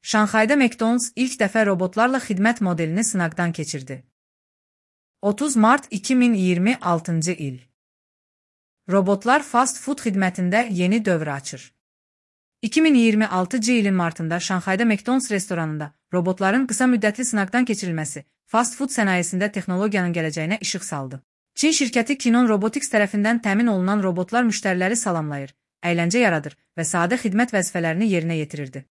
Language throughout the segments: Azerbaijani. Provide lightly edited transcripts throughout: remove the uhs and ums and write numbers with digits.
Şanxayda McDonald's ilk dəfə robotlarla xidmət modelini sınaqdan keçirdi. 30 mart 2026 il. Robotlar fast food xidmətində yeni dövr açır. 2026 ilin martında Şanxayda McDonald's restoranında robotların qısa müddətli sınaqdan keçirilməsi fast food sənayesində texnologiyanın gələcəyinə işıq saldı. Çin şirkəti Kinon Robotics tərəfindən təmin olunan robotlar müştəriləri salamlayır, əyləncə yaradır və sadə xidmət vəzifələrini yerinə yetirirdi.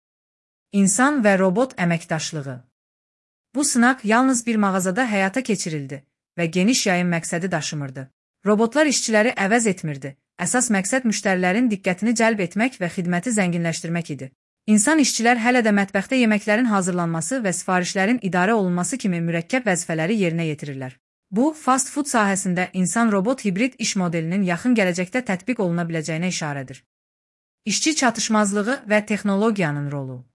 İnsan və robot əməkdaşlığı. Bu sınaq yalnız bir mağazada həyata keçirildi və geniş yayım məqsədi daşımırdı. Robotlar işçiləri əvəz etmirdi. Əsas məqsəd müştərilərin diqqətini cəlb etmək və xidməti zənginləşdirmək idi. İnsan işçilər hələ də mətbəxdə yeməklərin hazırlanması və sifarişlərin idarə olunması kimi mürəkkəb vəzifələri yerinə yetirirlər. Bu, fast food sahəsində insan-robot hibrid iş modelinin yaxın gələcəkdə tətbiq oluna biləcəyinə işarədir. İşçi çatışmazlığı və texnologiyanın rolu.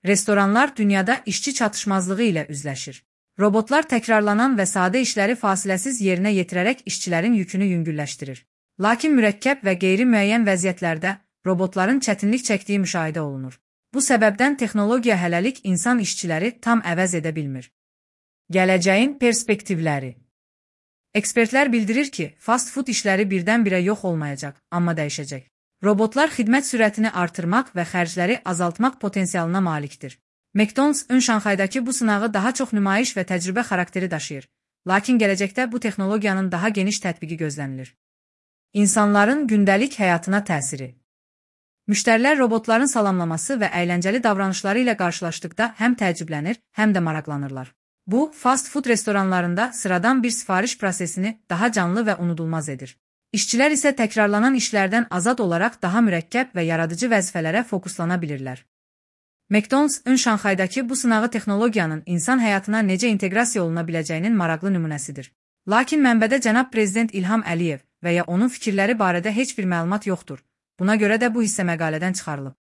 Restoranlar dünyada işçi çatışmazlığı ilə üzləşir. Robotlar təkrarlanan və sadə işləri fasiləsiz yerinə yetirərək işçilərin yükünü yüngülləşdirir. Lakin mürəkkəb və qeyri-müəyyən vəziyyətlərdə robotların çətinlik çəkdiyi müşahidə olunur. Bu səbəbdən texnologiya hələlik insan işçiləri tam əvəz edə bilmir. Gələcəyin perspektivləri. Ekspertlər bildirir ki, fast food işləri birdən-birə yox olmayacaq, amma dəyişəcək. Robotlar xidmət sürətini artırmaq və xərcləri azaltmaq potensialına malikdir. McDonald's Şanxaydakı bu sınağı daha çox nümayiş və təcrübə xarakteri daşıyır. Lakin gələcəkdə bu texnologiyanın daha geniş tətbiqi gözlənilir. İnsanların gündəlik həyatına təsiri. Müştərilər robotların salamlaması və əyləncəli davranışları ilə qarşılaşdıqda həm təəccüblənir, həm də maraqlanırlar. Bu, fast food restoranlarında sıradan bir sifariş prosesini daha canlı və unudulmaz edir. İşçilər isə təkrarlanan işlərdən azad olaraq daha mürəkkəb və yaradıcı vəzifələrə fokuslana bilirlər. McDonald's Şanxaydakı bu sınağı texnologiyanın insan həyatına necə inteqrasiya oluna biləcəyinin maraqlı nümunəsidir. Lakin mənbədə cənab Prezident İlham Əliyev və ya onun fikirləri barədə heç bir məlumat yoxdur. Buna görə də bu hissə məqalədən çıxarılıb.